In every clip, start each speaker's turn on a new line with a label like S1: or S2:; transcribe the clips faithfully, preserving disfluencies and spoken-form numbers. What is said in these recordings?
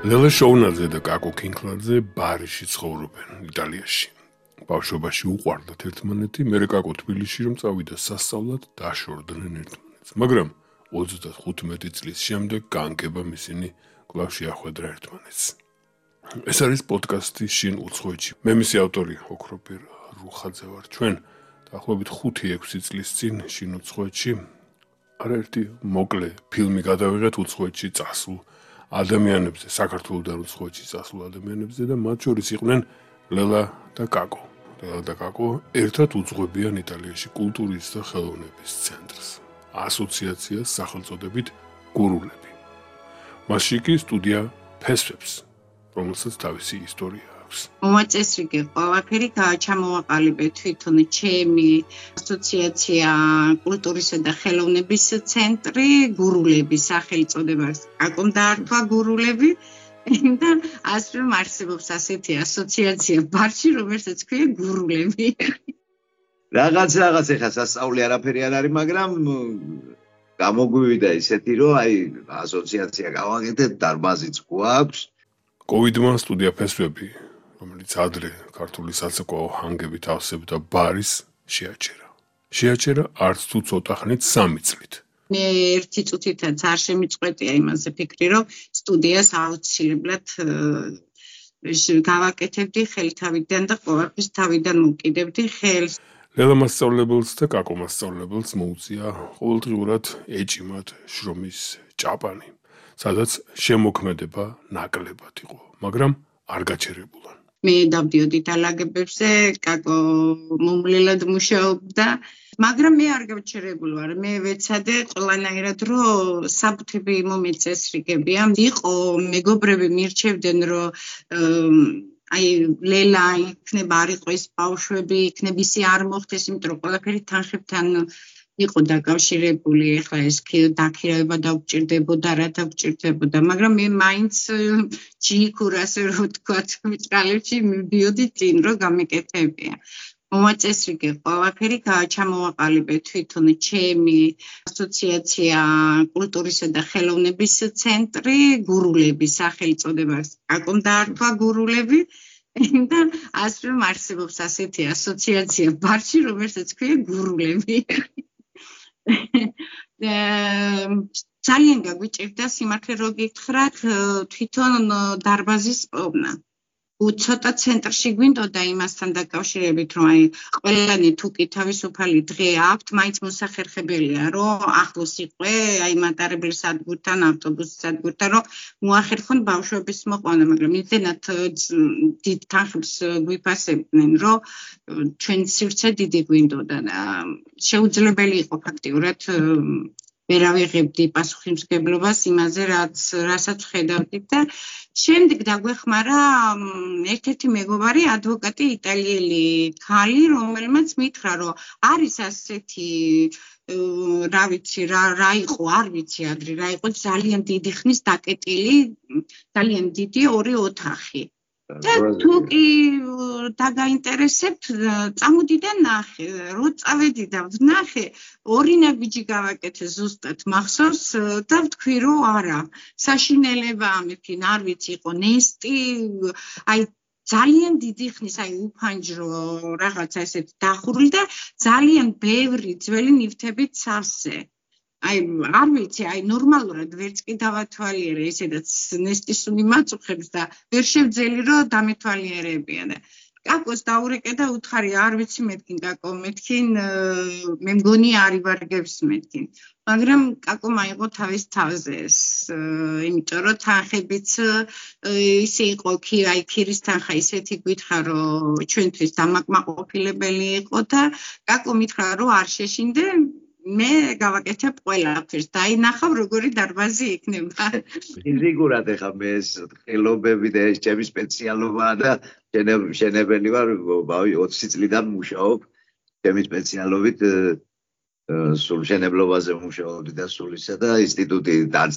S1: ლელა შოუნაძე და კაკო კინკლაძე ბარიში ცხოვრობენ იტალიაში. ბავშვობაში უყვარდათ ერთმანეთი, მერე კაკო თბილისში რომ წავიდა სასწავლად, დაშორდნენ ერთმანეთს. მაგრამ ოცდახუთმეტი წლის შემდეგ განკებამ ისინი კვლავ შეახვედრა ერთმანეთს. ეს არის პოდკასტი შინ უცხოეთში. მე მისი ავტორი ოქროპირ რუხაძე ვარ. ჩვენ დაახლოებით ხუთი ექვსი წლის წინ შინ უცხოეთში არაერთი მოკლე ფილმი გადავიღეთ უცხოეთში წასულ ადამიანებზე, საქართველოსთან უცხოეთში წასულ ადამიანებზე და მათ შორის იყვნენ ლელა და კაკო. ლელა და კაკო ერთად უძღვებიან იტალიაში კულტურის და ხელოვნების ცენტრს, ასოციაციას სახელწოდებით გურულები. მასში კი სტუდია ფესვებს, რომელსაც თავისი ისტორია აქვს.
S2: მომაწესრიგე ყველაფერი ჩამოვაყალიბე თვითონ ჩემი ასოციაცია კულტურისა და ხელოვნების ცენტრი გურულები სახელწოდება კაკომ დაარქვა გურულები და ასე არსებობს ასეთი ასოციაცია ბარში, რომელსაც ქვია გურულები.
S3: რაღაც რაღაც ეხა სასწაული არაფერი არ არის, მაგრამ გამოგვივიდა ისეთი, რომ აი ასოციაცია გავაკეთეთ, დარბაზიც გვაქვს.
S1: კოვიდმა სტუდია ფესვები, რომელიც ადრე ქართული საცეკვაო ჰანგებით ავსებდა ბარის, შეაჩერა. შეაჩერა არც თუ ცოტა ხნით სამი წლით.
S2: მე ერთი წუთითაც არ შემიწყვეტია იმაზე ფიქრი, რომ სტუდიას აუცილებლად გავაკეთებდი ხელთავიდან და ყველაფერს თავიდან მოვკიდებდი ხელს.
S1: ლელა მასწავლებელს და კაკო მასწავლებელს მოუწია ყოველდღიურად ეჭიმათ შრომის ჭაპანი, სადაც შემოქმედება ნაკლებად იყო, მაგრამ არ გაჩერებულან.
S2: მე დავდიოდი დალაგებებზე, კაკო მომლელად მუშაობდა, მაგრამ მე არ გავჩერებული ვარ. მე ვეცადე ყველანაირად, რომ საბუთები მომეწესრიგებია. იყო მეგობრები მირჩევდნენ, რომ აი ლელა იქნება არ იყო ეს ბავშვები, იქნება ისი არ მოხდეს, იმიტომ რომ ყველაფერი თანხებთან იყო დაკავშირებული, ეხლა ეს დაქირავება დაგვჭირდებოდა, რა დაგვჭირდებოდა, მაგრამ მე მაინც ჯიქურ ასე რომ ვთქვათ, მიწრალებში მივდიოდი წინ, რომ გამეკეთებია. მომაწესრიგე ყველაფერი ჩამოვაყალიბე თვითონ ჩემი ასოციაცია კულტურისა და ხელოვნების ცენტრი გურულები სახელწოდება კაკომ დაარქვა გურულები და ასე არსებობს ასეთი ასოციაცია ბარში, რომელსაც ქვია გურულები. ძალიან გაგვიჭირდა სიმართლე რო გითხრათ თვითონ დარბაზის პოვნა. ცოტა ცენტრში გვინდოდა იმასთან დაკავშირებით, რომ აი ყველანი თუ კი თავისუფალი დღე აქვთ, მაინც მოსახერხებელია, რომ ახლოს იყვე აი მატარებლის სადგურთან, ავტობუსის სადგურთან, რომ მოახერხონ ბავშვების მოყვანა, მაგრამ იმდენად დიდ თანხებს გვიფასებდნენ, რომ ჩვენ სივრცე დიდი გვინდოდა და შეუძლებელი იყო ფაქტიურად ვერ ავიღებდი პასუხისმგებლობას იმაზე, რაც რასაც ხედავდით და შემდეგ დაგვეხმარა ერთ-ერთი მეგობარი ადვოკატი იტალიელი ქალი, რომელმაც მითხრა, რომ არის ასეთი რა ვიცი, რა რა იყო, არ ვიცი ადრე რა იყო, ძალიან დიდი ხნის დაკეტილი, ძალიან დიდი ორი ოთახი. და თუ კი დაგაინტერესებთ, წამოდი და ნახე, რო წავედი და ვნახე, ორი ნაბიჯი გავაკეთე ზუსტად მახსოვს და ვთქვი, რომ არა, საშინელება ამეფინ, არ ვიცი, იყო ნესტი, აი ძალიან დიდი ხნის, აი უფანჯრო რაღაცა ესეთ დახურული და ძალიან ბევრი ძველი ნივთებით სავსე. აი არ ვიცი, აი ნორმალურად ვერც კი დავათვალიერე, ესედაც ნესტისუნი მაწუხებს და ვერ შევძელი, რომ დამეთვალიერებია და კაკოს დაურეკე და უთხარი, არ ვიცი მეთქინ კაკო, მეთქინ მე მგონი არ ივარგებს მეთქინ. მაგრამ კაკო მაიღო თავის თავზე ეს, იმიტომ რომ თანხებიც ისე იყო, კი აი ქირის თანხა ისეთი გვითხრა, რომ ჩვენთვის დამაკმაყოფილებელი იყო და კაკო მითხრა, რომ არ შეშინდე მე გავაკეთებ ყველაფერს და აი ნახავ როგორი დარბაზი იქნება.
S3: ფიზიკურად ეხა მე ეს ხელობები და ეს ჩემი სპეციალობაა და შენებელი ვარ, ოცი წლიდან მუშაობ. ჩემი სპეციალობით სულ შენებლობაზე მუშაობდი და სულისა და ინსტიტუტი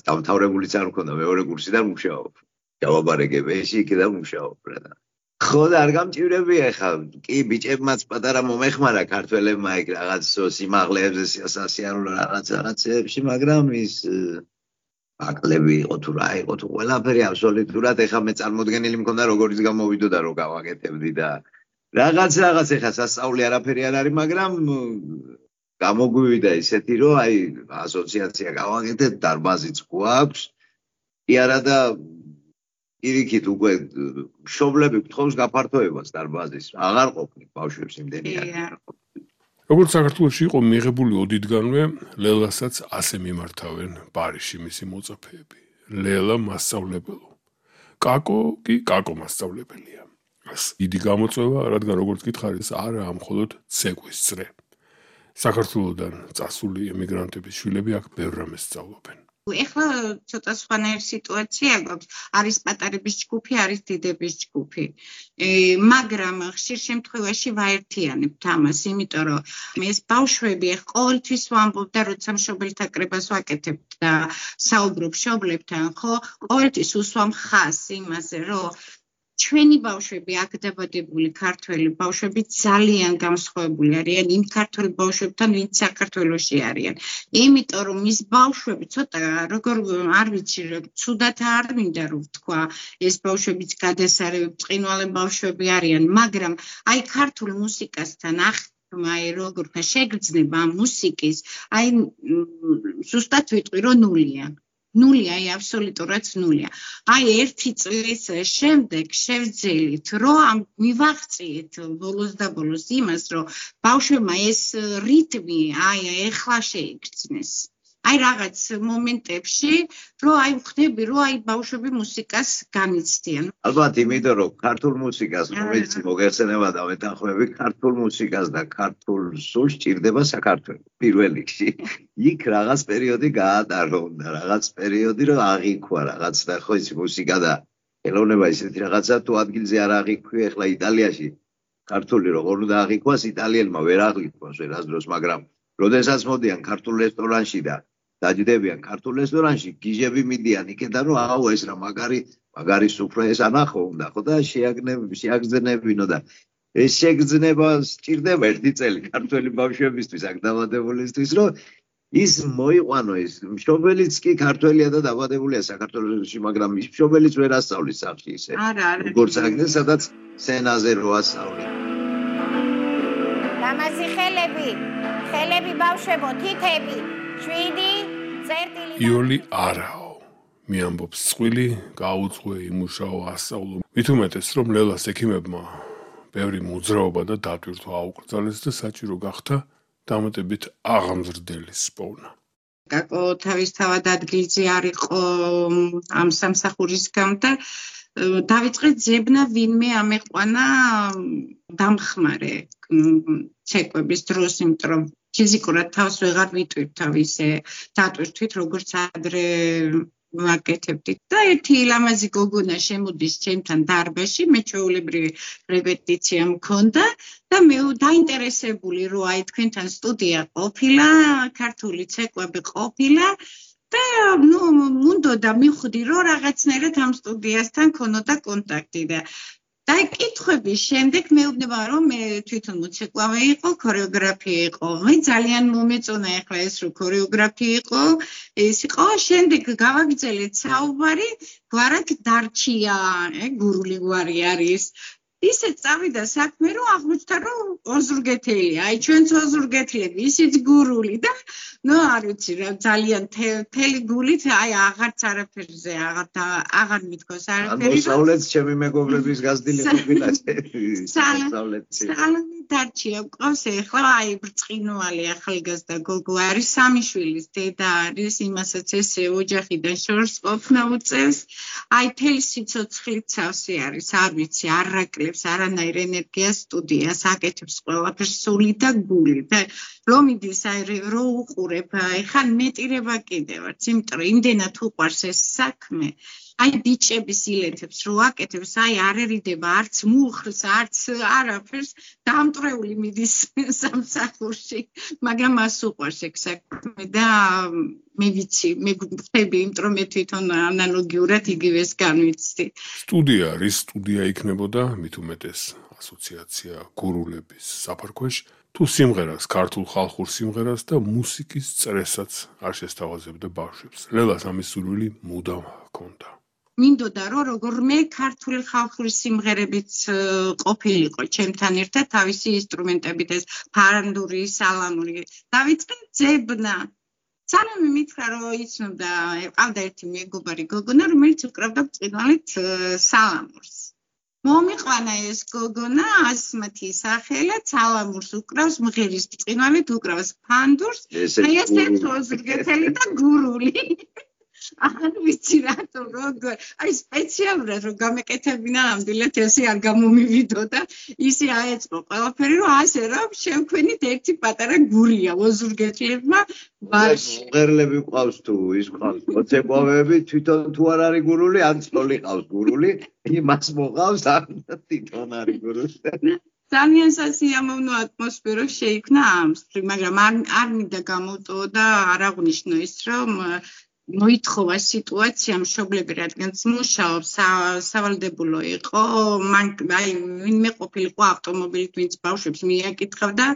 S3: დამთავრებულიც არ მქონდა, მეორე კურსიდან მუშაობ. ჯავაბარეგებეში იქიდან მუშაობ რა და ხო და არ გამჭირებია ეხა, კი ბიჭებმაც პატარა მომეხმარა ქართველებმა იქ რაღაც სიმაღლეებზე, სასიარულო რაღაც რაღაცებში, მაგრამ ის აკლები იყო თუ რა იყო თუ ყველაფერი აბსოლუტურად ეხა მე წარმოდგენილი მქონდა როგორიც გამოვიდოდა რომ გავაკეთებდი და რაღაც რაღაც ეხა სასწაული არაფერი არ არის მაგრამ გამოგვივიდა ისეთი რომ აი ასოციაცია გავაკეთეთ დარბაზიც გვაქვს კი არა და ირიქით უკვე მშობლები გთხოვს გაფართოებას დარბაზის აღარ ყოფნით ბავშვებს იმდენი არ
S1: როგორც საქართველოში იყო მიღებული ოდითგანვე ლელასაც ასე მიმართავენ პარიზში მისი მოწაფეები ლელა მასწავლებელო კაკო კი კაკო მასწავლებელია დიდი გამოწვევა რადგან როგორც გითხარით არა მხოლოდ ცეკვის წრე საქართველოდან წასული ემიგრანტების შვილები აქ ბევრ რამეს სწავლობენ
S2: ეხლა ცოტა სხვანაირი სიტუაცია გვაქვს არის პატარების ჯგუფი არის დიდების ჯგუფი მაგრამ ხშირ შემთხვევაში ვაერთიანებთ ამას იმიტომ რომ ეს ბავშვები ახ ყოველთვის ვამბობ და როცა მშობელთა კრებას ვაკეთებთ და საუბრობ მშობლებთან ხო ყოველთვის უსვამ ხაზს იმაზე რომ ჩვენი ბავშვები აქ დაბადებული ქართველი ბავშვები ძალიან განსხვავებული არიან იმ ქართველ ბავშვებთან ვინც საქართველოში არიან იმიტომ რომ ის ბავშვები ცოტა როგორ არ ვიცი ცუდად არ მინდა რომ ვთქვა ეს ბავშვებიც გადასარევი ბრწყინვალე ბავშვები არიან მაგრამ აი ქართულ მუსიკასთან ახმა აი როგორ შეგრძნება მუსიკის აი ზუსტად ვიტყვი რომ ნულია ნულია, აი აბსოლუტურად ნულია. აი ერთი წლის შემდეგ შევძელით, რომ მივაღწიეთ ბოლოს და ბოლოს იმას, რომ ბავშვებმა ეს რიტმი აი ეხლა შეიგრძნეს. აი რაღაც მომენტებში, რომ აი ვხდები, რომ აი ბავშვები მუსიკას განიცდიან.
S3: ალბათ იმიტომ, რომ ქართულ მუსიკას, რომელიც მოგეხსენება და მეთანხმები, ქართულ მუსიკას და ქართულ სულს ჭირდება საქართველოს პირველ რიგში. იქ რაღაც პერიოდი გაატარო და რაღაც პერიოდი რომ აღიქვა რაღაც და ხო ის მუსიკა და ელოვნება ისეთი რაღაცა თუ ადგილზე არ აღიქვი ახლა იტალიაში ქართული როგორ უნდა აღიქვას იტალიელმა ვერ აღიქვას ვერასდროს მაგრამ როდესაც მოდიან ქართულ რესტორანში და დაჯდებიან ქართულ რესტორანში გიჟები მიდიან იქიდან რომ აუ ეს რა მაგარი მაგარი სუფრა ეს ანახო უნდა ხო და შეაგნები შეაგზნებინო და ეს შეგრძნება სჭირდება ერთი წელი ქართველი ბავშვებისთვის აქ დაბადებულისთვის რომ ის მოიყვანო ის მშობელიც კი ქართველია და დაბადებულია საქართველოში მაგრამ ის მშობელიც ვერ ასწავლის სახში ისე როგორც აგდე სადაც სცენაზე რო ასწავლი
S4: დამაზი ხელები ხელები ბავშვებო თითები შვიდი წერტილი
S1: იოლი არაო მე ამბობს წყვილი გაუძღვე იმუშაო ასწავლო მით უმეტეს რომ ლელას ექიმებმა ბევრი მოძრაობა და დატვირთვა აუკრძალეს და საჭირო გახდა დამატებით აღამზრდელის პოვნა.
S2: კაკო თავისთავად ადგილზე არ იყო ამ სამსახურისგან და დავიწყეთ ძებნა ვინმე ამეყვანა დამხმარე ცეკვების დროს, იმიტომ რომ ფიზიკურად თავს ვეღარ ვიტვირთ თავისე დატვირთვით როგორც ადრე ვაკეთებდით და ერთი ლამაზი გოგონა შემოდის ჩემთან დარბაზში მე ჩვეულებრივი რეპეტიცია მქონდა და მე დაინტერესებული რომ აი თქვენთან სტუდია ყოფილა ქართული ცეკვები ყოფილა და ნუ მუნდოდა მივხვდი რომ რაღაცნაირად ამ სტუდიასთან ქონოდა კონტაქტი და და კითხების შემდეგ მეუბნება რომ მე თვითონ მოცეკვავე იყო, ქორეოგრაფი იყო. მე ძალიან მომეწონა ახლა ეს რომ ქორეოგრაფი იყო, ეს იყო შემდეგ გავაგრძელეთ საუბარი, გვარად დარჩია, გურული გვარი არის. ისე წავიდა საქმე რომ აღმოჩნდა რომ ოზურგეთელია. აი ჩვენც ოზურგეთლები, ისიც გურული და ნუ არ ვიცი რა ძალიან თელი გულით აი აღარც არაფერზე აღარ აღარ მithქოს არაფერი.
S3: მოსავლეთ ჩემი მეგობრების გაზრდილი ყოფილა.
S2: სალონი დარჩია ყავს ახლა აი ბრწყინვალე ახალგაზრდა გოგო არის სამი შვილის დედა არის იმასაც ესე ოჯახიდან შორს ყოფნა უწევს. აი თელი სიცოცხლით სავსე არის არ ვიცი არაკლებს არანაირ ენერგიას სტუდიას აკეთებს ყველაფერს სული და გული და რომ მიდის აი რო უყურებ ეხლა მეტირება კიდევაც იმიტომ რომ იმდენად უყვარს ეს საქმე აი ბიჭების ილეთებს რო აკეთებს აი არერიდება არც მუხლს არც არაფერს დამტრეული მიდის სამსახურში მაგრამ მას უყვარს ეგ საქმე და მე ვიცი მე ვხდები იმიტომ რომ მე თვითონ ანალოგიურად იგივეს განვიცდი
S1: სტუდია რის სტუდია იქნებოდა მით უმეტეს ასოციაცია გურულების საფარქვეშ თუ სიმღერას, ქართულ ხალხურ სიმღერას და მუსიკის წრესაც არ შესთავაზებდა ბავშვებს. ლელას ამის სურვილი მუდამ ჰქონდა.
S2: მინდოდა რომ როგორმე ქართული ხალხური სიმღერებიც ყოფილიყო ჩემთან ერთად თავისი ინსტრუმენტებით ეს ფარანდური, სალამური. დავიწყე ძებნა. სალამი მითხრა რომ იცნობდა, ყავდა ერთი მეგობარი გოგონა, რომელიც უკრავდა ბრწყინვალედ სალამურს. მომიყვანა ეს გოგონა, ასმათი სახელად სალამურს უკრავს, მღერის ბრწყინვალედ უკრავს ფანდურს, აი ესეც ოზრგეთელი და გურული. არ ვიცი რატო როგორ აი სპეციალურად რომ გამეკეთებინა ნამდვილად ესე არ გამომივიდოდა ისე აეწყო ყველაფერი რომ ასე რომ შევქმნით ერთი პატარა გურია ოზურგეთლებმა ბარში
S3: მღერლები ყავს თუ ის ყავს მოცეკვავები თვითონ თუ არ არის გურული ან წოლი ყავს გურული იმას მოყავს ან თვითონ არის გურული
S2: ძალიან სასიამოვნო ატმოსფერო შეიქმნა ამსთრი მაგრამ არ არ მინდა გამოვტო და არ აღნიშნო ის რომ მოითხოვა სიტუაცია მშობლები რადგანაც მუშაობს სავალდებულო იყო მან აი ვინმე ყოფილიყო ავტომობილით ვინც ბავშვებს მიაკითხავდა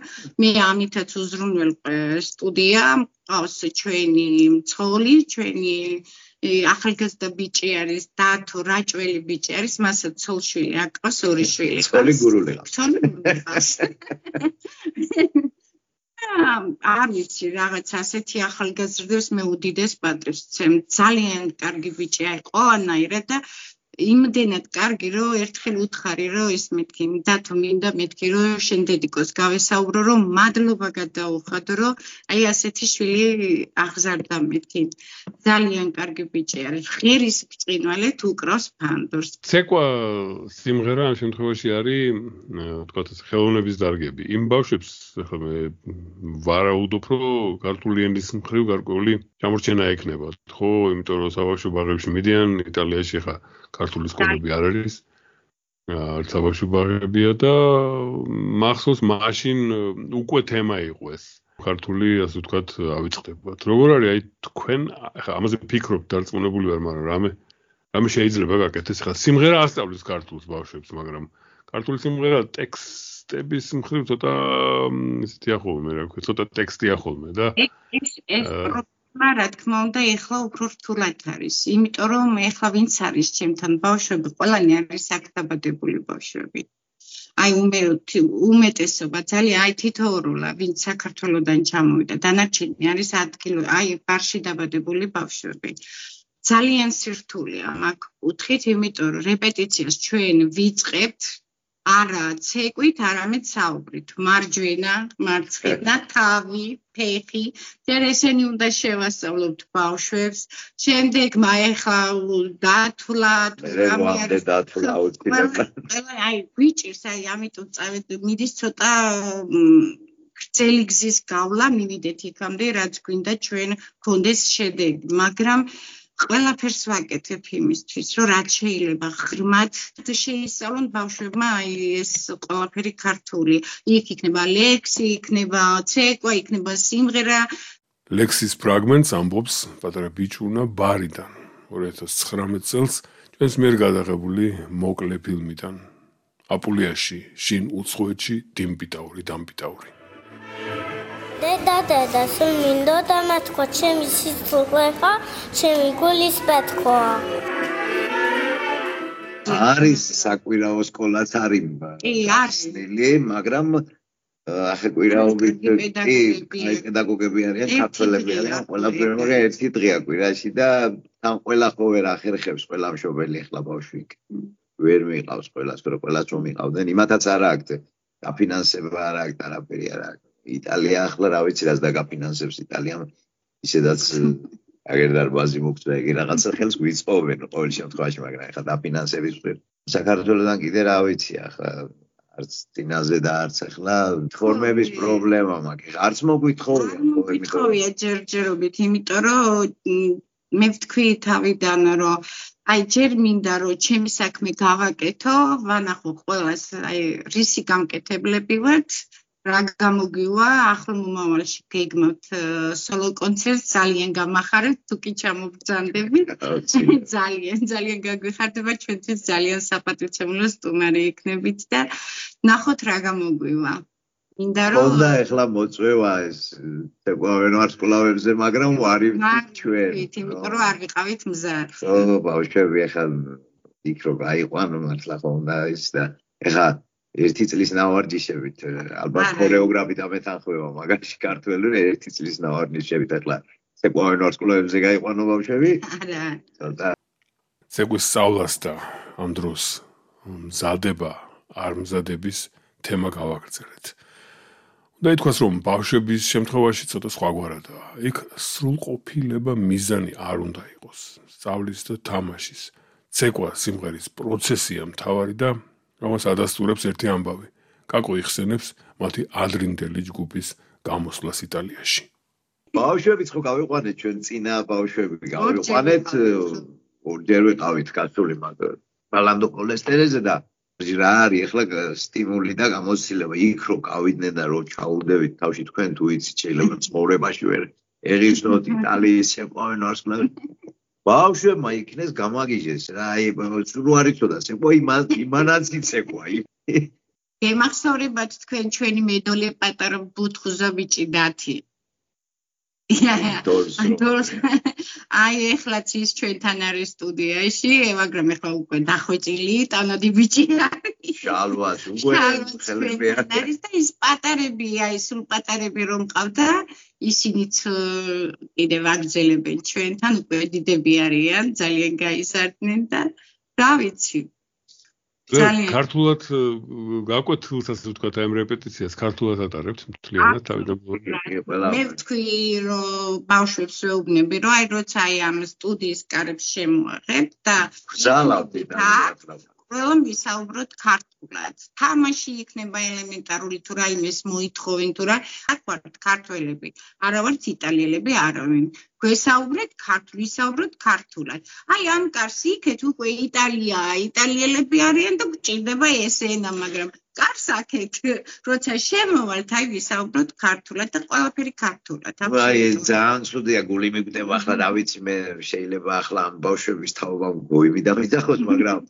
S2: მე ამითაც უზრუნველყვე სტუდია ყავს ჩვენი მცხოველი ჩვენი ახალგაზრდა ბიჭი არის დათო რაჭველი ბიჭი არის მასაც ცოლშვილი აკყავს ორი შვილი
S3: ცოლი გურული
S2: ცოლი გურული არ ვიცი რაღაც ასეთი ახალგაზრდებს მე უდიდეს პატრებს ვცემ ძალიან კარგი ბიჭი აი ყველანაირად და იმდენად კარგი რომ ერთხელ უთხარი რომ ის მეთქი დათო მინდა მეთქი რომ შენ დედიკოს გავესაუბრო რომ მადლობა გადაუხადო რომ აი ასეთი შვილი აღზარდა მეთქი ძალიან კარგი ბიჭი არის ღერის ბრწყინვალედ უკრავს ფანდურს
S1: ცეკვა სიმღერა ამ შემთხვევაში არის თქვათ ეს ხელოვნების დარგები იმ ბავშვებს ახლა მე ვარაუდობ რომ ქართული ენის მხრივ გარკვეული ჩამორჩენა ექნება ხო იმიტომ რომ საბავშვო ბაღებში მიდიან იტალიაში ხა ქართული სკოლები არ არის. არც საბავშვო ბაღებია და მახსოვს მაშინ უკვე თემა იყო ეს. ქართული ასე ვთქვათ ავიწყდებათ. როგორ არის აი თქვენ ახლა ამაზე ფიქრობთ დარწმუნებული ვარ, მაგრამ რამე რამე შეიძლება გაკეთდეს ხა სიმღერა ასწავლის ქართულს ბავშვებს, მაგრამ ქართული სიმღერა ტექსტების მხრივ ცოტა ისეთი ახოლმე, მე რა ვქო, ცოტა ტექსტია ხოლმე და
S2: ეს ეს რა თქმა უნდა ეხლა უფრო რთულად არის იმიტომ რომ ეხლა ვინც არის ჩემთან ბავშვები ყველანი არის აქ-დაბადებული ბავშვები აი უმეტესობა ძალიან აი თითოეულა ვინც საქართველოსდან ჩამოვიდა დანარჩენი არის ადგილი აი ბარში დაბადებული ბავშვები ძალიან სირთულეა მაგ კუთხით იმიტომ რომ რეპეტიციას ჩვენ ვიწყებთ არა ცეკვით, არამედ საუბრით. მარჯვენა, მარცხენა, თავი, ფეხი. ჯერ ესენი უნდა შევასწავლოთ ბავშვებს. შემდეგ მაეხლა დათვლა,
S3: რამე არის დათვლა უწიდება.
S2: აი გვიჭირს, აი ამიტომ წავედ მიდის ცოტა გრძელი გზის გავლა, მივიდეთ იქამდე, რაც გვინდა ჩვენ გქონდეს შედეგი, მაგრამ ყველაფერს ვაკეთებ იმისთვის, რომ რაც შეიძლება ღრმად შეისწავლონ ბავშვებმა აი ეს ყველაფერი ქართული. იქ იქნება ლექსი, იქნება ცეკვა, იქნება სიმღერა.
S1: ლექსის ფრაგმენტს ამბობს პატარა ბიჭუნა ბარიდან ორი ათას ცხრამეტ წელს ჩვენს მიერ გადაღებული მოკლე ფილმიდან. აპულიაში, შინ უცხოეთში დიმპიტაური, დამპიტაური.
S5: დედა დედა სულ მინდოდა მათქვა ჩემი სიცოცხლეა ჩემი გულის პეთქვა
S3: არის საკვირაო სკოლაც არის
S2: კი არის
S3: მაგრამ ახლა კვირაობით კი პედაგოგები არიან ქართველები არიან ყველაფერი ერთი დღეა კვირაში და თან ყველა ხო ვერ ახერხებს ყველა მშობელი ახლა ბავშვი ვერ მიყავს ყველას რომ ყველას რომ მიყავდნენ იმათაც არ აქვს დაფინანსება არ აქვს არაფერი არ აქვს იტალია ახლა რა ვიცი რაც დაგაფინანსებს იტალიამ ისედაც აგერ დარბაზი მოგწვა იგი რაღაცა ხელს გვიწყობენ ყოველ შემთხვევაში მაგრამ ახლა დაფინანსების ვერ საქართველოსთან კიდე რა ვიცი ახლა არც დინაზე და არც ახლა ფორმების პრობლემა მაქვს არც მოგვითხოვია
S2: მოგვითხოვია ჯერჯერობით იმიტომ რომ მე ვთქვი თავიდან რომ აი ჯერ მინდა რომ ჩემი საქმე გავაკეთო ვანახო ყველას აი რისი გამკეთებლები ვართ რა გამოგივა ახლა მომავალში გეგმავთ სოლო კონცერტს ძალიან გამახარებთ თუ კი ჩამობრძანდებით ძალიან ძალიან გაგვიხარდება ჩვენთვის ძალიან საპატივცემულო სტუმარი იქნებით და ნახოთ რა გამოგვივა მინდა რომ
S3: ხონდა ეხლა მოწვევა ეს თეკვავენ ვარსკვლავებზე, მაგრამ ვარი ჩვენ.
S2: იმიტომ რომ არ ვიყავით მზარ.
S3: ო, ბავშვები ეხლა იქ რო გაიყვანო მართლა ხონდა ის და ეხლა ერთი წლის ნავარჯიშებით ალბათ ქორეოგრაფი და მეთანხმება, მაგაში ქართველი ერთი წლის ნავარჯიშებით ეხლა თეკვავენ ვარსკვლავებზე გაიყვანო ბავშვები.
S2: არა.
S3: ცოტა
S1: ცეკვის სწავლას და ამ დროს მზადება არ მზადების თემა გავაგრძელეთ. და ითქვას, რომ ბავშვების შემთხვევაში ცოტა სხვაგვარადაა. იქ სრულყოფილება მიზანი არ უნდა იყოს. სწავლის და თამაშის, ცეკვა სიმღერის პროცესია მთავარი და რომელსაც ადასტურებს ერთი ამბავი. კაკო იხსენებს მათი ადრინდელი ჯგუფის გამოსვლას იტალიაში.
S3: ბავშვებიც ხო გავიყვანეთ ჩვენ წინა ბავშვები გავიყვანეთ ორჯერ ვიყავით კაცული მაგრამ ბალანდო კოლესტერეზე და რა არის ახლა სტიმული და გამოცდილება იქ რო გავიდნენ და რო ჩაუდევით თავში თქვენ თუ იცით შეიძლება ცხოვრებაში ვერ ეღიჩნოთ იტალიის შეყვავენ ვარსკვლავები ბავშვებმა იქნეს გამაგიჟეს რა აი სულ არ იცოდა ცეკვა იმანაც იცეკვა
S2: გემახსოვრებათ თქვენ ჩვენი მედოლე პატარა ბუთხუზა ბიჭი დათი აი ეხლაც ის ჩვენთან არის სტუდიაში, მაგრამ ეხლა უკვე დახვეწილი, ტანადი ბიჭი არის.
S3: შალვას უკვე ხელები
S2: არის და ის პატარები, აი სულ პატარები რომ ყავდა, ისინიც კიდევ აგრძელებენ ჩვენთან, უკვე დიდები არიან, ძალიან გაიზარდნენ და რა ვიცი.
S1: ქართულად გაკვეთ ასე ვთქვათ ამ რეპეტიციას ქართულად ატარებთ მთლიანად თავიდან
S2: მე ვთქვი რომ ბავშვებს ვეუბნები რომ აი როცა აი ამ სტუდიის კარებს შემოაღებ და
S3: გზალავდი და
S2: ყველა ვისაუბროთ ქართულად თამაში იქნება ელემენტარული თუ რაიმეს მოითხოვენ თუ რა აქ ვართ ქართველები არა ვართ იტალიელები არავინ გვესაუბრეთ ქართულ ვისაუბროთ ქართულად აი ამ კარს იქეთ უკვე იტალიაა იტალიელები არიან და გჭირდება ეს ენა მაგრამ კარს აქეთ როცა შემოვალთ აი ვისაუბროთ ქართულად და ყველაფერი ქართულად
S3: აი ძალიან ცუდია გული მიგვდება ახლა რა ვიცი მე შეიძლება ახლა ამ ბავშვების თაობა გოიმი და მიდახოს მაგრამ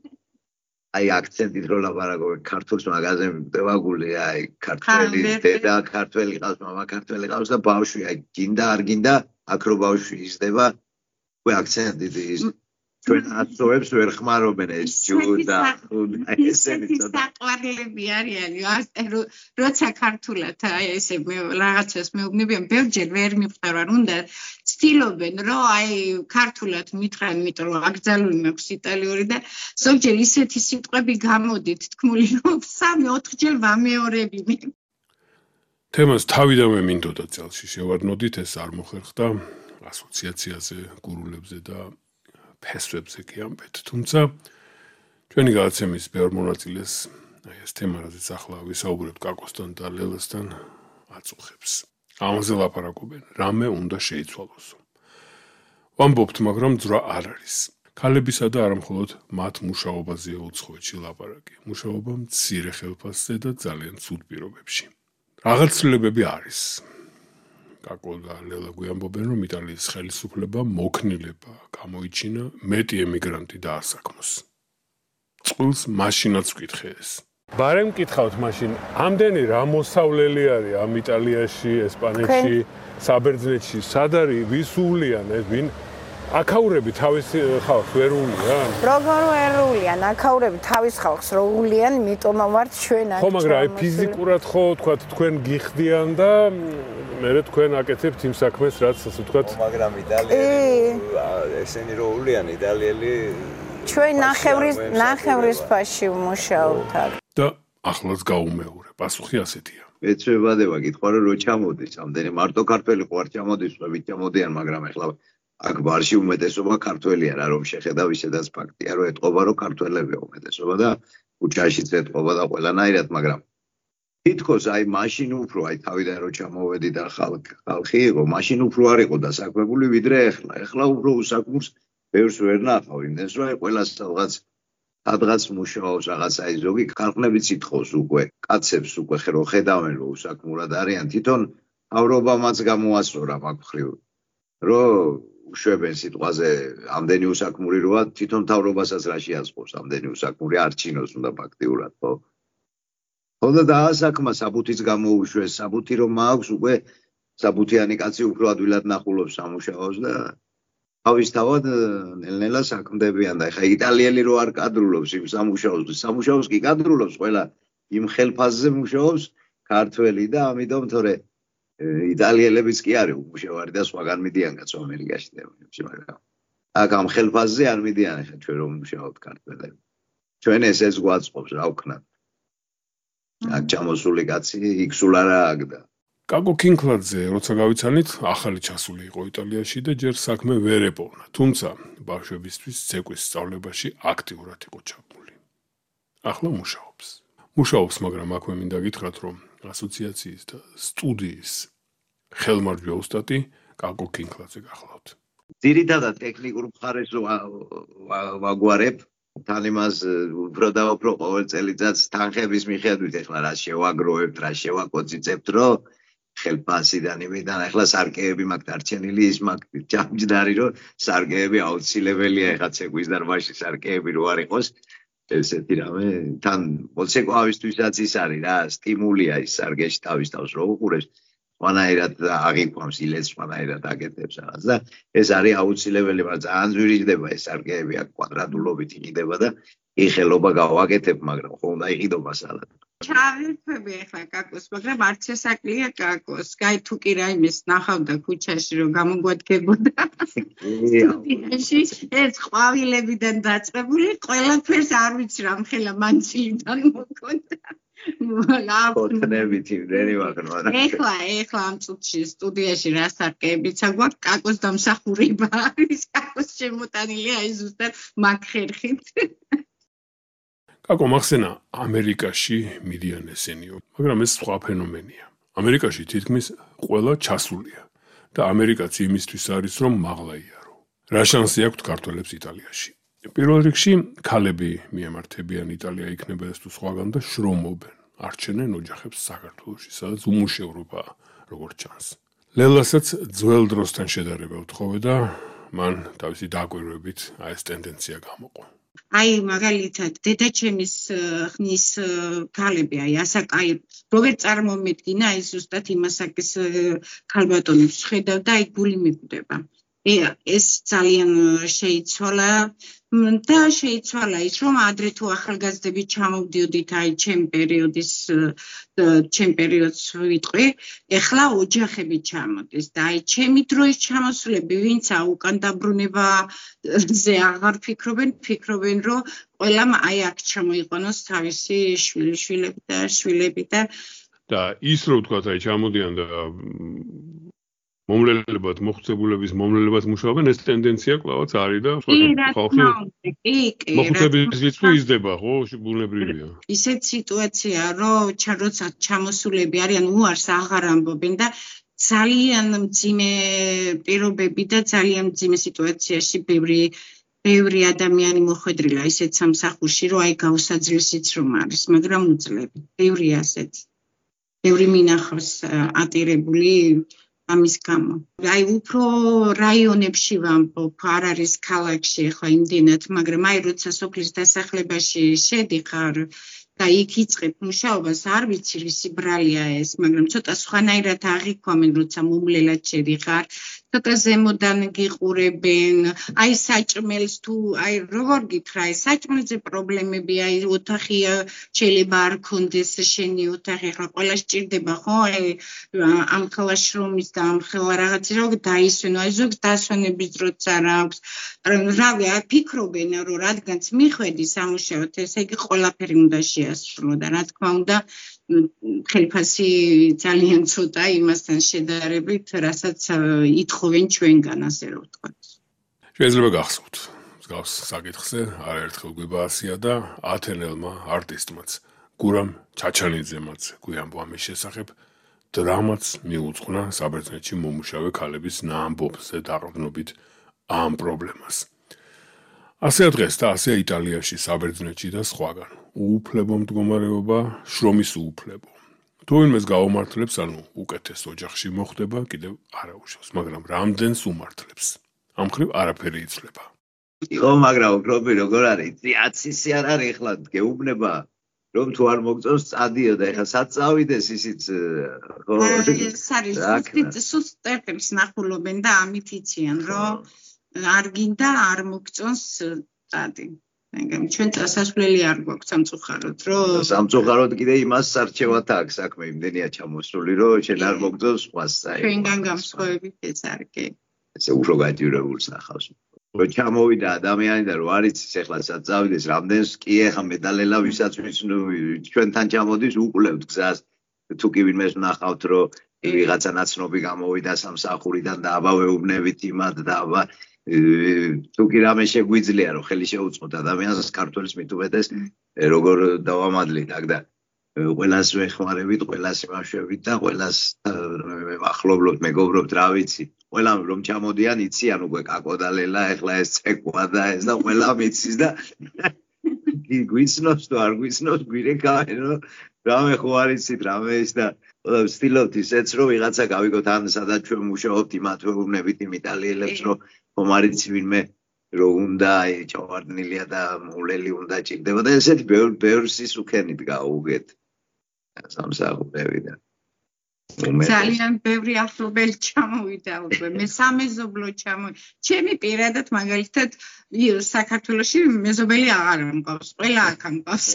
S3: აი აქცენტით რო ლაპარაკობენ ქართულს მაგაზე მდება გული აი ქართველი დედა ქართველი ყავს მამა ქართველი ყავს და ბავშვი აი გინდა არ გინდა აქ რო ბავშვი იზრდება უკვე აქცენტით ის ჩვენ აცოვებს ვერ ხმარობენ ეს ჯუდა ესენი
S2: საყვარლები არიან როცა ქართულად აი ესე მე რაღაცას მეუბნებიან ბევრჯერ ვერ მივხვდარ უნდა ცდილობენ რომ აი ქართულად მითხრან იმიტომ რომ აკრძალული მაქვს იტალიური და ზოგჯერ ისეთი სიტყვები გამოდით თქმული რომ სამი ოთხჯერ ვამეორებინე
S1: თემას თავიდანვე მინდოდა წელში შევარდნოდით ეს არ მოხერხდა ასოციაციაზე გურულებზე და ფესვებზე კი ამბეთ თუმცა ჩვენი გადაცემის ბევრ მონაწილეს აი ეს თემა რაზეც ახლა ვისაუბრებთ კაკოსთან და ლელასთან აწუხებს ამაზე ლაპარაკობენ რამე უნდა შეიცვალოსო ვამბობთ მაგრამ ძრა არ არის ქალებისა და არა მხოლოდ მათ მუშაობაზეა უცხოეთში ლაპარაკი მუშაობა მცირე ხელფასზე და ძალიან ცუდ პირობებში რაღაც ცვლილებები არის კაკო და ლელა გვიამბობენ, რომ იტალიის ხელისუფლება მოქნილება გამოიჩინა მეტი ემიგრანტი დაასაქმოს. წყვილს მაშინაც ვკითხე ეს. ბარემ მკითხავთ მაშინ, ამდენი რა მოსავლელი არის ამ იტალიაში, ესპანეთში, საბერძნეთში, სად არის, ვის უვლიან ეს, ვინ აქაურები თავის ხალხს ვერ უვლიან?
S4: როგორ ვერ უვლიან? აქაურები თავის ხალხს რო უვლიან, იმიტომ ვართ ჩვენ აქ.
S1: ხო, მაგრამ აი ფიზიკურად ხო, თქვა თქვენ გიხდიან და მერე თქვენ აკეთებთ იმ საქმეს, რაც ასე ვთქვათ.
S6: მაგრამ იტალიელი ესენი რო უვლიან, იტალიელი
S4: ჩვენ ნახევრის ნახევრის ფაში ვმუშაობთ აქ.
S1: და ახლაც გაუმეორე, პასუხი ასეთია.
S3: ეცვებადება კითხვა რომ რო ჩამოდის, ამდენი მარტო ქართველი ხო არ ჩამოდის, ვით ჩამოდიან, მაგრამ ახლა აქ ბარში უმეტესობა ქართველია რა რომ შეხედავ ისედაც ფაქტია რომ ეთყობა რომ ქართველებია უმეტესობა და უჩაშიც ეთყობა და ყველანაირად მაგრამ თითქოს აი მაშინ უფრო აი თავიდან რო ჩამოვედი და ხალხი იყო მაშინ უფრო არ იყო დასაქმებული ვიდრე ეხლა ეხლა უფრო უსაქმურს ბევრს ვერ ნახავ იმდენს რომ აი ყველას რაღაც სადღაც მუშაობს რაღაც აი ზოგი ქალხნებიც ითხოვს უკვე კაცებს უკვე ხრო ხედავენ რომ უსაქმურად არიან თვითონ მთავრობამაც გამოასწორა მაგ მხრივ რომ უშვებენ სიტყვაზე ამდენი უსაქმური როა თვითონ მთავრობასაც რა შეასწორს ამდენი უსაქმური არ ჩინოს უნდა ფაქტიურად ხო ხოდა დაასაქმა საბუთიც გამოუშვეს, საბუთი რომ აქვს უკვე საბუთიანი კაცი უფრო ადვილად ნახულობს სამუშაოს და თავისთავად ნელ-ნელა საქმდებიან და ეხა იტალიელი რო არ კადრულობს იმ სამუშაოს, სამუშაოს კი კადრულობს ყველა იმ ხელფასზე მუშაობს ქართველი და ამიტომ თორე იტალიელებიც კი არის უმუშევარი და სხვაგან მიდიან კაცო ამერიკაში და მაგრამ აქ ამ ხელფასზე არ მიდიან ეხა ჩვენ რომ მუშაობთ ქართველები. ჩვენ ესეც გვაწყობს რა ვქნათ. აქ ჩამოსული კაცი იქ სულ არა აქ და
S1: კაკო კინკლაძე, როცა გავიცანით, ახალი ჩასული იყო იტალიაში და ჯერ საქმე ვერ ეპოვნა. თუმცა ბავშვებისთვის ცეკვის სწავლებაში აქტიურად იყო ჩაბმული. ახლა მუშაობს. მუშაობს, მაგრამ აქვე მინდა გითხრათ, რომ ასოციაციის და სტუდიის ხელმარჯვე ოსტატი კაკო კინკლაძე გახლავთ.
S3: ძირითადად ტექნიკურ მხარეს ვაგვარებ, თან იმას უფრო და უფრო ყოველ წელიწადს თანხების მიხედვით ეხლა რა შევაგროვებთ, რა შევაკოწიწებთ, რომ ხელფასიდან იმიდან ახლა სარკეები მაქვს დარჩენილი ის მაქვს ჯამჯდარი რომ სარკეები აუცილებელია ეხლა ცეკვის დარბაზში სარკეები რო არ იყოს ესეთი რამე თან მოცეკვავისთვისაც ის არის რა სტიმულია ის სარკეში თავის თავს რო უყურებს სხვანაირად აღიქვამს ილეთს სხვანაირად აკეთებს რაღაც და ეს არის აუცილებელი მაგრამ ძალიან ძვირიჯდება ეს სარკეები აქ კვადრატულობით იყიდება და იხელობა გავაკეთებ მაგრამ ხო უნდა იყიდობა სადაც
S2: ჩავირთვები ახლა კაკოს, მაგრამ არც ეს აკლია კაკოს. გაი თუ კი რაიმეს ნახავდა ქუჩაში რომ გამოგვადგებოდა. სტუდიაში ეს ყვავილებიდან დაწყებული ყველაფერს არ ვიცი რა მხელა მანცილიდან მოკონდა.
S3: ხოთნებით იმდენი ვაგნო.
S2: ეხლა ეხლა ამ წუთში სტუდიაში რა სარკეებიც აგვაქვს კაკოს დამსახურება არის კაკოს შემოტანილია აი ზუსტად მაგ ხერხით.
S1: კაკო მახსენა ამერიკაში მიდიან ესენიო, მაგრამ ეს სხვა ფენომენია. ამერიკაში თითქმის ყველა ჩასულია და ამერიკაც იმისთვის არის რომ მაღლა იარო. რა შანსი აქვთ ქართველებს იტალიაში? პირველ რიგში ქალები მიემართებიან იტალია იქნება ეს თუ სხვაგან და შრომობენ. არჩენენ ოჯახებს საქართველოში, სადაც უმუშევრობაა, როგორც ჩანს. ლელასაც ძველ დროსთან შედარება უთხოვე და მან თავისი დაკვირვებით აი ეს ტენდენცია გამოყო.
S2: აი მაგალითად დედაჩემის ხნის ქალები აი ასაკაი როგორ წარმომედგინა აი ზუსტად იმასაკის ქალბატონებს ხედავ და აი გული მიკვდება. ეს ძალიან შეიცვალა და შეიცვალა ის რომ ადრე თუ ახალგაზრდები ჩამოვდიოდით აი ჩემ პერიოდის ჩემ პერიოდს ვიტყვი ეხლა ოჯახები ჩამოდის და აი ჩემი დროის ჩამოსულები ვინც უკან დაბრუნებაზე აღარ ფიქრობენ ფიქრობენ რომ ყველამ აი აქ ჩამოიყენოს თავისი შვილიშვილები და შვილები და
S1: და ის რო ვთქვათ აი ჩამოდიან და მომლელებად მოხუცებულების მომლელებად მუშაობენ ეს ტენდენცია კლავაც არის და ხალხი მოხუცების რიცხვი იზრდება ხო ბუნებრივია
S2: ისეთ სიტუაცია რომ როცა ჩამოსულები არიან უარს აღარ ამბობენ და ძალიან მძიმე პირობები და ძალიან მძიმე სიტუაციაში ბევრი ბევრი ადამიანი მოხვედრილა ისეთ სამსახურში რომ აი გაუსაძლისიც რომ არის მაგრამ უძლები ბევრია ასეთი ბევრი მინახავს ატირებული ამის გამო. აი უფრო რაიონებში ვამბობ, არ არის ქალაქში ახლა იმდენად, მაგრამ აი როცა სოფლის დასახლებაში შედიხარ და იქ იწყებ მუშაობას, არ ვიცი რისი ბრალია ეს, მაგრამ ცოტა სხვანაირად აღიქვამენ, როცა მომლელად შედიხარ, ცოტა ზემოდან გიყურებენ, აი საჭმელს თუ აი როგორ გითხრა, აი საჭმელზე პრობლემები, აი ოთახი შეიძლება არ ქონდეს შენი ოთახი, ახლა ყველა სჭირდება ხო, აი ამ ხელა შრომის და ამ ხელა რაღაცა რო დაისვენო, აი ზოგს დასვენების დროც არ აქვს. რავი, აი ფიქრობენ, რომ რადგანაც მიხვედი სამუშაოდ, ესე იგი ყველაფერი უნდა შეასრულო და რა თქმა უნდა ხელფასი ძალიან ცოტა იმასთან შედარებით, რასაც ითხოვენ ჩვენგან, ასე რომ ვთქვათ.
S1: შეიძლება გახსოვთ, მსგავს საკითხზე არაერთხელ გვიბაასია და ათენელმა არტისტმაც, გურამ ჩაჩანიძემაც გვიამბო ამის შესახებ, დრამაც მიუძღვნა საბერძნეთში მომუშავე ქალების ნაამბობზე დაყრდნობით ამ პრობლემას. ასეა დღეს და ასეა იტალიაში, საბერძნეთში და სხვაგან. უუფლებო მდგომარეობა, შრომის უუფლებო. თუ ვინმეს გაუმართლებს, ანუ უკეთეს ოჯახში მოხდება, კიდევ არა უშავს, მაგრამ რამდენს უმართლებს. ამ ხრივ არაფერი იცვლება.
S3: ხო, მაგრამ უბრალოდ როგორ არის? ციაცისი არ არის ახლა გეუბნება. რომ თუ არ მოგწონს წადიო და ეხლა სად წავიდეს ისიც ხო
S2: ეს არის სუსტ წერტებს ნახულობენ და ამით იციან რომ არ გინდა არ მოგწონს წადი ეგრე ჩვენ წასასვლელი არ გვაქვს სამწუხაროდ რომ
S3: სამწუხაროდ კიდე იმას სარჩევათ აქვს საქმე იმდენია ჩამოსული რომ შენ არ მოგწონს სხვას საერთოდ
S2: ჩვენგან გამსხვავებით ეს არ კი
S3: ესე უფრო გაჯიურებულს ახავს რომ ჩამოვიდა ადამიანი და რომ არ იცის ეხლა სად წავიდეს რამდენს კი ეხა მედალელა ვისაც ჩვენთან ჩამოდის უყლევთ გზას თუ კი ვინმეს ვნახავთ რომ ვიღაცა ნაცნობი გამოვიდა სამსახურიდან და აბავეუბნებით იმად და აბა თუ კი რამე შეგვიძლია რომ ხელი შეუწყოთ ადამიანს ქართველის მithumetes როგორ დავამადლით აქ და ყველას ვეხმარებით ყველას ვაშვებით და ყველას ახლობლობთ მეგობრობთ რა ვიცი ყველამ რომ ჩამოდიან იციან უკვე კაკოდალელა ეხლა ეს წეკვა და ეს და ყველამ იცის და გვიცნობს თუ არ გვიცნობს გვირეკავენ რომ რამე ხო არ იცით რამე ის და ვცდილობთ ისეც რომ ვიღაცა გავიგოთ ან სადაც ჩვენ მუშაობთ იმათვეუბნებით იმ იტალიელებს რომ ხომ არ იცი ვინმე რომ უნდა აი ჩავარდნილია და მოვლელი უნდა ჭირდება და ესეთი ბევრი სისუქენით გაუგეთ სამსახურები და
S2: ძალიან ბევრი ახლობელი ჩამოვიდა უკვე მე სამეზობლო ჩამოვიდა ჩემი პირადად მაგალითად საქართველოში მეზობელი აღარ მყავს ყველა აქ მყავს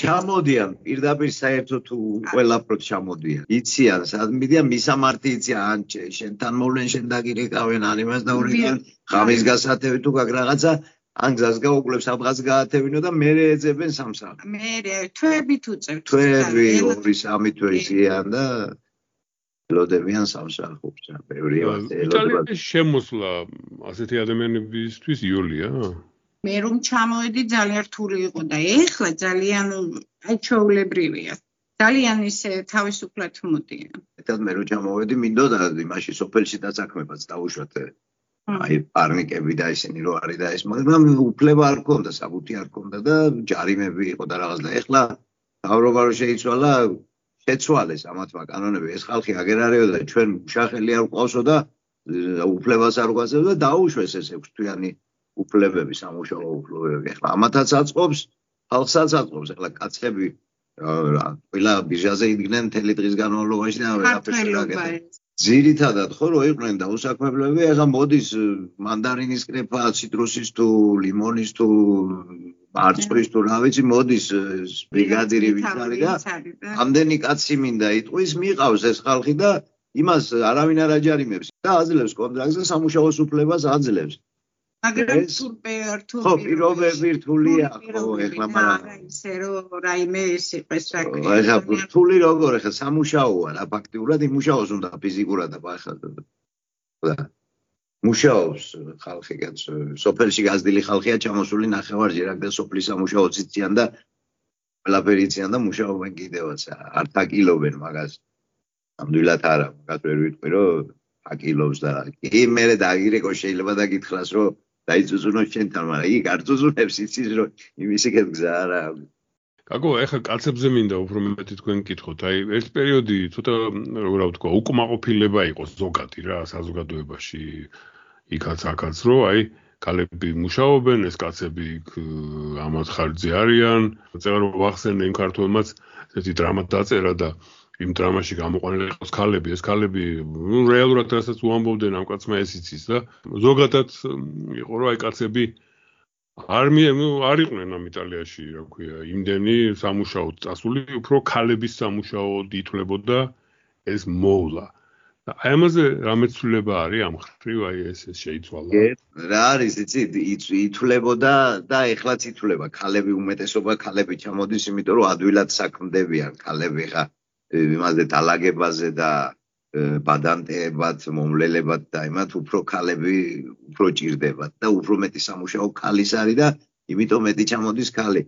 S3: ჩამოდიან პირდაპირ საერთოდ თუ ყველაფროდ ჩამოდიან იციან სად მიდიან მისამართი იციან ან შენთან მოვლენ შენ დაგირეკავენ ან იმას დაურეკავენ ღამის გასათევი თუ გაგ რაღაცა ან გზას გაუკლებს აბღას გაათევინო და მე ეძებენ სამსახურს
S2: მე თვეებით უწევთ
S3: თვეები ორი სამი თვე ისიან და ლოდებიან სამსახურს ბევრი
S1: ელოდება შემოსვლა ასეთი ადამიანებისთვის იოლია
S2: მე რომ ჩამოვედი ძალიან რთული იყო და ეხლა ძალიან აჩვეულებრივია ძალიან ისე თავისუფლად მოდიან
S3: ერთად მე რომ ჩამოვედი მინდოდა იმაში სოფელში დაწაქმებაც დაუშვათ აი პარნიკები და ისინი რო არის და ეს მაგრამ უფლება არ ქონდა საბუთი არ ქონდა და ჯარიმები იყო და რაღაც და ეხლა თავრობა რო შეიცვალა შეცვალეს ამათმა კანონები ეს ხალხი აგერ არისო და ჩვენ შახელი არ ყავსო და უფლებას არ გვაძლევდა და დაუშვეს ეს ექვს თვიანი უფლებები სამუშაო უფლებები ეხლა ამათაც აწყობს ხალხსაც აწყობს ეხლა კაცები ყველა ბიჟაზე იდგნენ მთელი დღის განმავლობაში და ვერაფერს არ აკეთებდნენ ძირითადად ხო რო იყვნენ და უსაქმებლები ეხლა მოდის მანდარინის კრეფა ციტრუსის თუ ლიმონის თუ მარწყვის თუ რა ვიცი მოდის ბრიგადირი ვინც არის და ამდენი კაცი მინდა იტყვის მიყავს ეს ხალხი და იმას არავინ არ აჯარიმებს და აძლევს კონტრაქტს და სამუშაოს უფლებას აძლევს
S2: მაგრამ თუ
S3: ხო პირობები რთულია ხო ეხლა
S2: მაგრამ ისე რომ რაიმე ეს იყოს რა
S3: ეხლა რთული როგორ ეხლა სამუშაოა რა ფაქტიურად იმუშაოს უნდა ფიზიკურად და ახლა და მუშაობს ხალხი კაც სოფელში გაზრდილი ხალხია ჩამოსული ნახევარჯერ აქ და სოფლის სამუშაოც იციან და ყველაფერი იციან და მუშაობენ კიდევაც არ თაკილობენ მაგას ნამდვილად არა მაგას ვერ ვიტყვი რომ აკილობს და კი მე დაგირეკო შეიძლება დაგითხრას რომ დაიწუწუნოს შენთან მაგრამ იქ არ წუწუნებს იცის რომ იმისი გზა არა
S1: კაკო ეხლა კაცებზე მინდა უფრო მეტი თქვენ გკითხოთ აი ერთ პერიოდი ცოტა როგორ ვთქვა უკმაყოფილება იყო ზოგადი რა საზოგადოებაში იქაც აქაც რომ აი კალები მუშაობენ ეს კაცები ამათ ხარჯზე არიან წერა რომ ვახსენე იმ ქართველმაც ესეთი დრამა დაწერა და იმ დრამაში გამოყვანილი იყოს ქალები ეს ქალები ნუ რეალურად რასაც უამბობდნენ ამ კაცმა ეს იცის და ზოგადად იყო რომ აი კაცები არ არ იყვნენ ამ იტალიაში რა ქვია იმდენი სამუშაო წასული უფრო ქალების სამუშაო ითვლებოდა ეს მოვლა და აი ამაზე რა მეცვლება არის ამ ხრივ აი ეს შეიცვალა
S3: რა არის იცი ითვლებოდა და ეხლაც ითვლება ქალები უმეტესობა ქალები ჩამოდის იმიტომ რომ ადვილად საქმდებიან ქალები ხა იმაზე დალაგებაზე და ბადანტეებად მომლელებად და იმათ უფრო ქალები უფრო ჭირდებათ და უფრო მეტი სამუშაო ქალის არის და იმიტომ მეტი ჩამოდის ქალი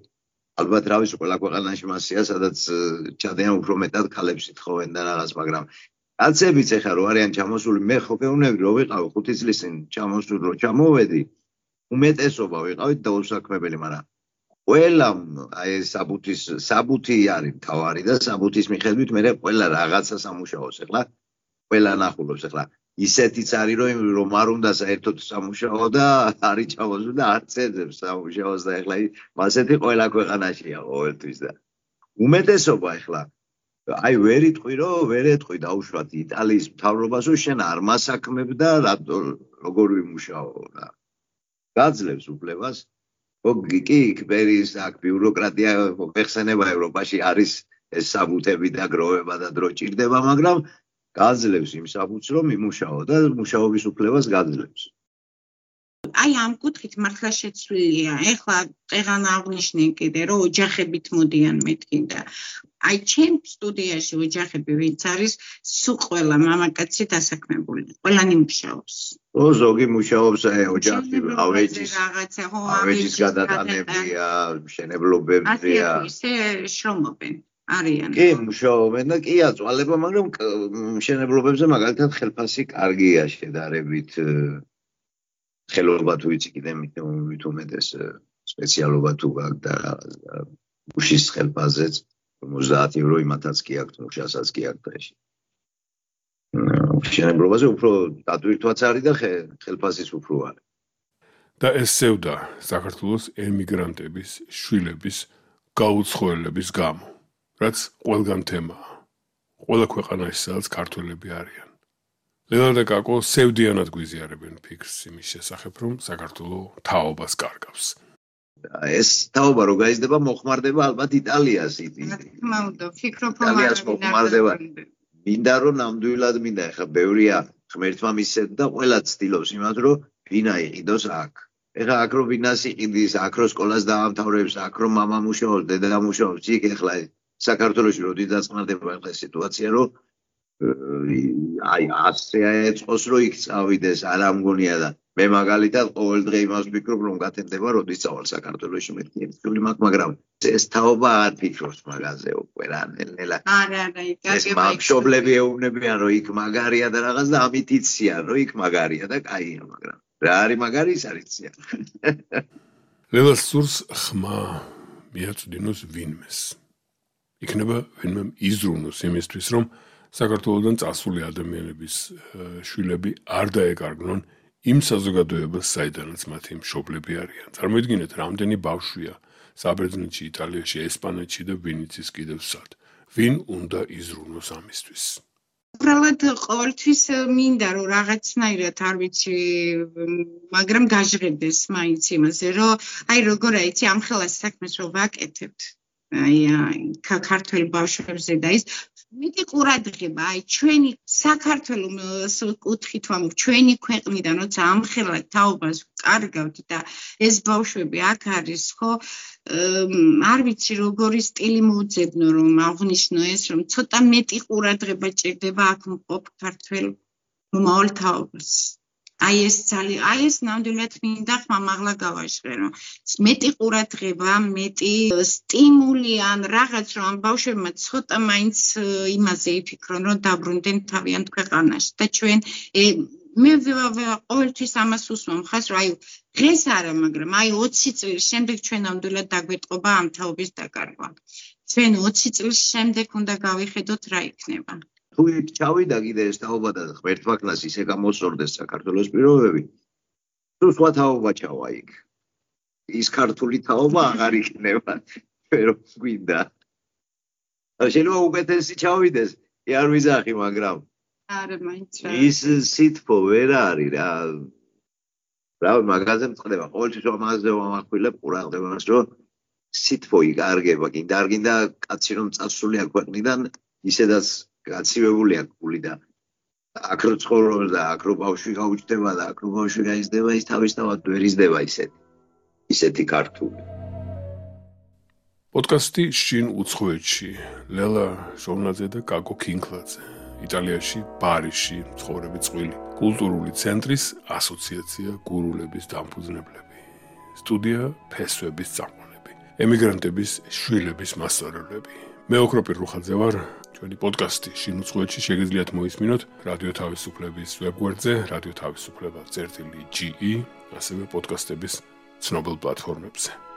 S3: ალბათ რა ვიცი ყველა ქვეყანაში მასია სადაც ჩადიან უფრო მეტად ქალებს ითხოვენ და რაღაც მაგრამ კაცებიც ეხა რო არიან ჩამოსული მე ხო გეუბნები რომ ვიყავ ხუთი წლის წინ ჩამოსული რომ ჩამოვედი უმეტესობა ვიყავით დაუსაქმებელი მაგრამ ყველა აი საბუთის საბუთი არის თავარი და საბუთის მიხედვით მე ყველა რაღაცა სამუშაოს ეხლა ყველა ნახულობს ეხლა ისეთიც არის რომ რომ არ უნდა საერთოდ სამუშაო და არის ჩამოსული და არც ეძებს სამუშაოს და ეხლა მასეთი ყველა ქვეყანაშია ყოველთვის და უმეტესობა ეხლა აი ვერ იტყვი რომ ვერ ეტყვი დაუშვათ იტალიის მთავრობას რომ შენ არ მასაქმებ და როგორ ვიმუშაო რა გაძლევს უფლებას კი იქ ბერის აქ ბიუროკრატია მოხსენება ევროპაში არის ეს საბუთები და გროვება და დრო ჭირდება მაგრამ გაძლევს იმ საბუთს რომ იმუშაო და მუშაობის უფლებას გაძლევს
S2: აი ამ კუთხით მართლა შეცვლილია. ეხლა წეღან აღნიშნე კიდე რომ ოჯახებით მოდიან მეთქინდა. აი ჩემ სტუდიაში ოჯახები ვინც არის, სულ ყველა მამაკაცი დასაქმებული. ყველანი მუშაობს.
S3: ო ზოგი მუშაობს ოჯახი ავეჯის
S2: რაღაცა ხო
S3: ავეჯის გადატანებია, მშენებლობებია.
S2: ისე შრომობენ. არიან.
S3: კი, მუშაობენ და კი აწვალება, მაგრამ მშენებლობებზე მაგალითად ხელფასი კარგია შედარებით. ხელობა თუ იცი კიდე მით უმეტეს სპეციალობა თუ გაქვს და მუშის ხელფასზეც ორმოცდაათი ევრო იმათაც კი აქვს მუშასაც კი აქვს დღეში. მშენებლობაზე უფრო დატვირთვაც არის და ხელფასიც უფრო არის.
S1: და ეს სევდა საქართველოს ემიგრანტების შვილების გაუცხოელების გამო, რაც ყველგან თემაა. ყველა ქვეყანაში სადაც ქართველები არიან. ლელა და კაკო სევდიანად გვიზიარებენ ფიქრს იმის შესახებ, რომ საქართველო თაობას კარგავს.
S3: ეს თაობა რო გაიზრდება, მოხმარდება ალბათ იტალიას.
S2: თქმა უნდა, ფიქრობ რომ
S3: იტალიას მოხმარდება. მინდა რომ ნამდვილად მინდა, ეხლა ბევრია ღმერთმა მისცეთ და ყველა ცდილობს იმას, რომ ვინა იყიდოს აქ. ეხლა აქ რო ვინას იყიდის, აქ რო სკოლას დაამთავრებს, აქ რო მამა მუშაობს, დედა მუშაობს, იქ ეხლა საქართველოში რო დიძაწყნარდება ეხლა სიტუაცია, რომ აი ასე ეწყოს რომ იქ წავიდეს არ ამგონია და მე მაგალითად ყოველ დღე იმას ვფიქრობ რომ გათენდება როდის წავალ საქართველოში მეთქი ერთული მაგ მაგრამ ეს თაობა არ ფიქრობს მაგაზე უკვე რა ნელა
S2: არა არა იკაკე
S3: მშობლები ეუბნებიან რომ იქ მაგარია და რაღაც და ამით იციან რომ იქ მაგარია და კაია მაგრამ რა არის მაგარი ის არ იციან
S1: ლელას სურს ხმა მიაწვდინოს ვინმეს იქნება ვინმე იზრუნოს იმისთვის რომ საქართველოდან წასული ადამიანების შვილები არ დაეკარგნონ იმ საზოგადოებას, საიდანაც მათი მშობლები არიან. წარმოიდგინეთ, რამდენი ბავშვია საბერძნეთში, იტალიაში, ესპანეთში და ვინც ის კიდევ სად. ვინ უნდა იზრუნოს ამისთვის?
S2: უბრალოდ ყოველთვის მინდა რომ რაღაცნაირად არ ვიცი, მაგრამ გაჟღერდეს მაინც იმაზე, რომ აი როგორ აიცი ამ ხელას საქმეს რომ ვაკეთებთ. აი ქართველ ბავშვებზე და ის მეტი ყურადღება, აი ჩვენი საქართველოს კუთხით ვამბობ, ჩვენი ქვეყნიდან როცა ამხელა თაობას კარგავთ და ეს ბავშვები აქ არის, ხო, არ ვიცი როგორი სტილი მოუძებნო რომ აღნიშნო ეს, რომ ცოტა მეტი ყურადღება ჭირდება აქ მყოფ ქართველ მომავალ თაობას. აი ეს ძალიან, აი ეს ნამდვილად მინდა ხმამაღლა გავაჟღერო. მეტი ყურადღება, მეტი სტიმული ან რაღაც რომ ამ ბავშვებმა ცოტა მაინც იმაზე იფიქრონ, რომ დაბრუნდნენ თავიანთ ქვეყანაში და ჩვენ მე ყოველთვის ამას უსვამ ხას, რომ აი დღეს არა, მაგრამ აი ოცი წლის შემდეგ ჩვენ ნამდვილად დაგვეტყობა ამ თაობის დაკარგვა. ჩვენ ოცი წლის შემდეგ უნდა გავიხედოთ რა იქნება.
S3: თუ იქ ჩავიდა კიდე ეს თაობა და ღმერთმა კლას ისე გამოსწორდეს საქართველოს პირობები, თუ სხვა თაობა ჩავა იქ. ის ქართული თაობა აღარ იქნება, pero გვინდა. შეიძლება უკეთესი ჩავიდეს, კი არ ვიზახი, მაგრამ
S2: არა მაინც რა.
S3: ის სითბო ვერ არის რა. რა მაგაზე მწყდება, ყოველთვის ამაზე ვამახვილებ ყურადღებას, რომ სითბო იკარგება, კიდე არ გინდა კაცი რომ წასულია ქვეყნიდან, ისედაც გაცივებულია გული და აქ რო ცხოვრობს და აქ რო ბავშვი გაუჩნდება და აქ რო ბავშვი გაიზრდება ის თავისთავად ვერ იზრდება ისეთი ისეთი ქართული
S1: პოდკასტი შინ უცხოეთში ლელა ჟორნაძე და კაკო ქინკლაძე იტალიაში პარიზში მცხოვრები წყვილი კულტურული ცენტრის ასოციაცია გურულების დამფუძნებლები სტუდია ფესვების წამყვანები ემიგრანტების შვილების მასწავლებლები მე ოქროპირ რუხაძე ვარ ჩვენი პოდკასტი შინ უცხოეთში შეგიძლიათ მოისმინოთ რადიო თავისუფლების ვებგვერდზე რადიო თავისუფლება წერტილი ჯი ი ასევე პოდკასტების ცნობილ პლატფორმებზე